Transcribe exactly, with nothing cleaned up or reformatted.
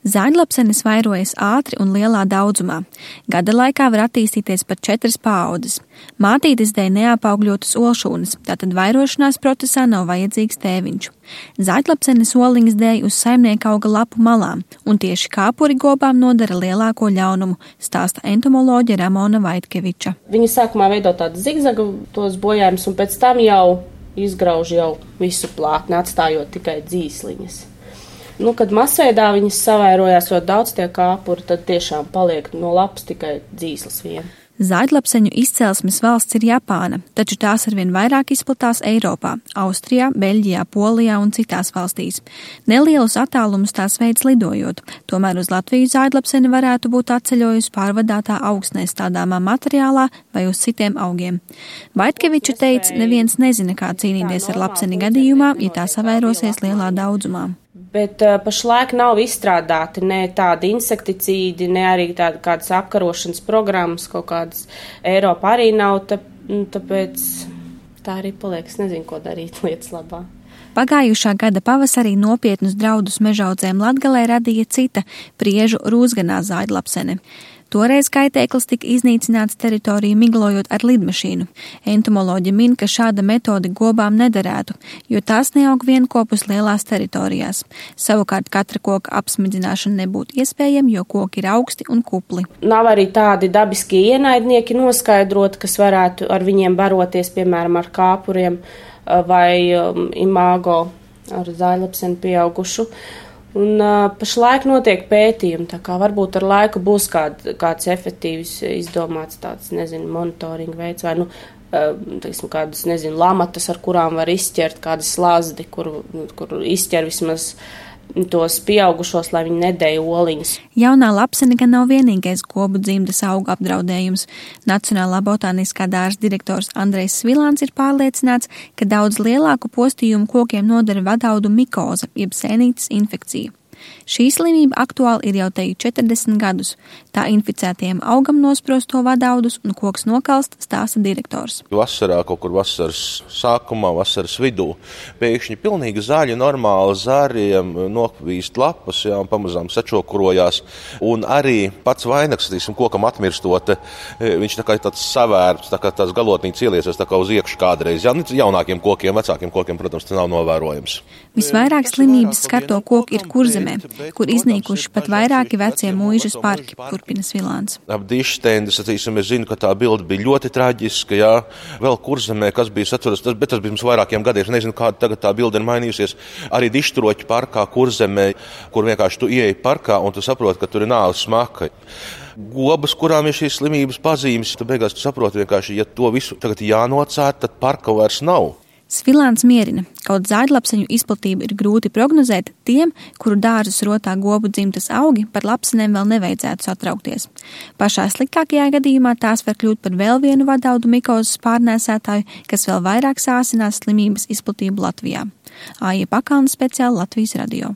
Zāļlapsenes vairojas ātri un lielā daudzumā. Gada laikā var attīstīties pat četras paaudzes. Mātītes dēļ neapaugļotas olšūnas, tātad vairošanās procesā nav vajadzīgs tēviņš. Zāļlapsenes oliņas dēļ uz saimnieka auga lapu malām, un tieši kāpuri gobām nodara lielāko ļaunumu, stāsta entomoloģe Ramona Vaitkeviča. Viņi sākumā veido tādu zigzagu tos bojājumus, un pēc tam jau izgrauž jau visu plātni, atstājot tikai dzīsliņas. Nu, kad masveidā viņas savairojās ļoti daudz tie kāpuri, tad tiešām paliek no lapas tikai dzīslis vien. Zāļlapseņu izcelsmes valsts ir Japāna, taču tās arvien vairāk izplatās Eiropā, Austrijā, Beļģijā, Polijā un citās valstīs. Nelielus attālumus tās veids lidojot, tomēr uz Latviju zāļlapseni varētu būt atceļojusi pārvadātā augsnē stādāmā materiālā vai uz citiem augiem. Vaitkeviča teica, neviens nezina, kā cīnīties ar lapseni gadījumā, ja tā savairosies lielā daudzumā. Bet uh, pašlaik nav izstrādāti ne tādi insekticīdi, ne arī tāda kādas apkarošanas programmas, kaut kādas Eiropā arī nav, tā, tāpēc tā arī paliek, es nezinu, ko darīt lietas labā. Pagājušā gada pavasarī nopietnus draudus mežaudzēm Latgalē radīja cita priežu rūzganā zāļlapsene. Toreiz kaitēklis tika iznīcināts teritoriju miglojot ar lidmašīnu. Entomoloģi min, ka šāda metode gobām nederētu, jo tās neaug vienkopus lielās teritorijās. Savukārt katra koka apsmidzināšana nebūtu iespējama, jo koki ir augsti un kupli. Nav arī tādi dabiskie ienaidnieki noskaidrot, kas varētu ar viņiem baroties, piemēram, ar kāpuriem vai um, imago ar zāļlapseni pieaugušu. Un uh, pašlaik notiek pētījumi, tā kā varbūt ar laiku būs kād, kāds efektīvs izdomāts tāds, nezinu, monitoringa veids vai, nu, uh, teiksim, kādas, nezinu, lamatas, ar kurām var izķert kādas slazdi, kur, kur izķer vismaz tos pieaugušos, lai viņi nedēja oliņas. Jaunā lapsene gan nav vienīgais gobu dzimtas augu apdraudējums. Nacionālā botāniskā dārza direktors Andrejs Svilāns ir pārliecināts, ka daudz lielāku postījumu kokiem nodara vadaudu mikoza, jeb sēnītes infekcija. Šī slimība aktuāli ir jau teju četrdesmit gadus. Tā inficētajiem augam nosprosto vadaudus un koks nokalst, stāsta direktors. Vasarā, kaut kur vasaras sākumā, vasaras vidū, pēkšņi pilnīgi zaļi, normāli zāriem nokvīst lapas, jā, un pamazām sačokurojās. Un arī pats vainags, tīsim, kokam atmirstot, viņš tā kā tāds savērps, tā kā tās galotnītes ieliesies tā kā uz iekšu kādreiz. Jā, jaunākiem kokiem, vecākiem kokiem, protams, tas nav novērojams. Visvairāk slimības skarto koku ir Kurzemē, kur iznīkuši pat vairāki vecie mūžas parki, turpina Svilāns. Ap dištendes, atcīsim, es zinu, ka tā bilde bija ļoti traģiska, jā, vēl Kurzemē, kas bija, atceros, tas, bet tas bija mums vairākiem gadiem, nezinu, kāda tagad tā bilde ir mainījusies, arī Dišturoķu parkā Kurzemē, kur vienkārši tu ieeji parkā un tu saproti, ka tur ir nāves smaka. Gobas, kurām ir šīs slimības pazīmes, tu beigās tu saproti vienkārši, ja to visu tagad jānocērt, tad parka vairs nav. Svilāns mierina, kaut zāļlapseņu izplatību ir grūti prognozēt, tiem, kuru dārzus rotā gobu dzimtas augi, par lapsenēm vēl nevajadzētu satraukties. Pašā sliktākajā gadījumā tās var kļūt par vēl vienu vadaudu mikozes pārnēsētāju, kas vēl vairāk sāsinās slimības izplatību Latvijā. Aija Pakalna, speciāli Latvijas radio.